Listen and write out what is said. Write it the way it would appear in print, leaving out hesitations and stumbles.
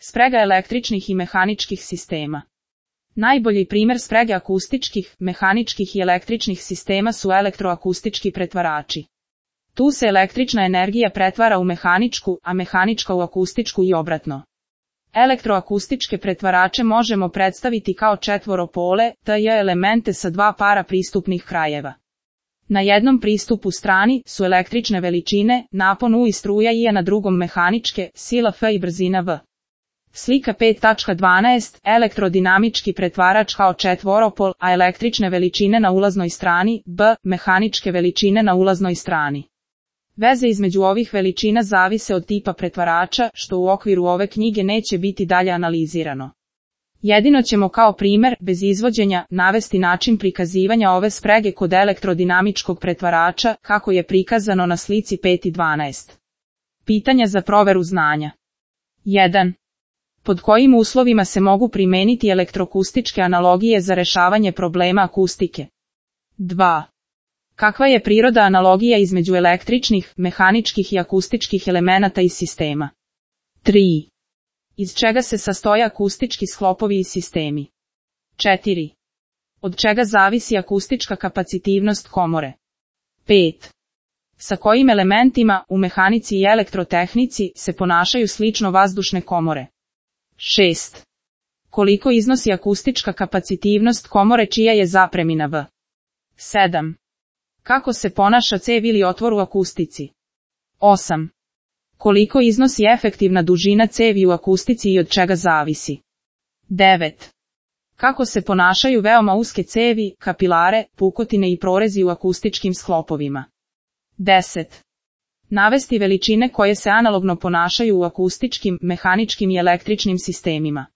Sprega električnih i mehaničkih sistema. Najbolji primjer sprege akustičkih, mehaničkih i električnih sistema su elektroakustički pretvarači. Tu se električna energija pretvara u mehaničku, a mehanička u akustičku i obratno. Elektroakustičke pretvarače možemo predstaviti kao četvoropole, TJ elemente sa dva para pristupnih krajeva. Na jednom pristupu strani su električne veličine, napon U i struja I, a na drugom mehaničke, sila F i brzina V. Slika 5.12. Elektrodinamički pretvarač kao četvoropol, a električne veličine na ulaznoj strani, B, mehaničke veličine na ulaznoj strani. Veze između ovih veličina zavise od tipa pretvarača, što u okviru ove knjige neće biti dalje analizirano. Jedino ćemo kao primjer, bez izvođenja, navesti način prikazivanja ove sprege kod elektrodinamičkog pretvarača, kako je prikazano na slici 5.12. Pitanja za proveru znanja. 1. Pod kojim uslovima se mogu primeniti elektroakustičke analogije za rešavanje problema akustike? 2. Kakva je priroda analogija između električnih, mehaničkih i akustičkih elemenata i sistema? 3. Iz čega se sastoje akustički sklopovi i sistemi? 4. Od čega zavisi akustička kapacitivnost komore? 5. Sa kojim elementima, u mehanici i elektrotehnici, se ponašaju slično vazdušne komore? 6. Koliko iznosi akustička kapacitivnost komore čija je zapremina V? 7. Kako se ponaša cev ili otvor u akustici? 8. Koliko iznosi efektivna dužina cevi u akustici i od čega zavisi? 9. Kako se ponašaju veoma uske cevi, kapilare, pukotine i prorezi u akustičkim sklopovima? 10. Navesti veličine koje se analogno ponašaju u akustičkim, mehaničkim i električnim sistemima.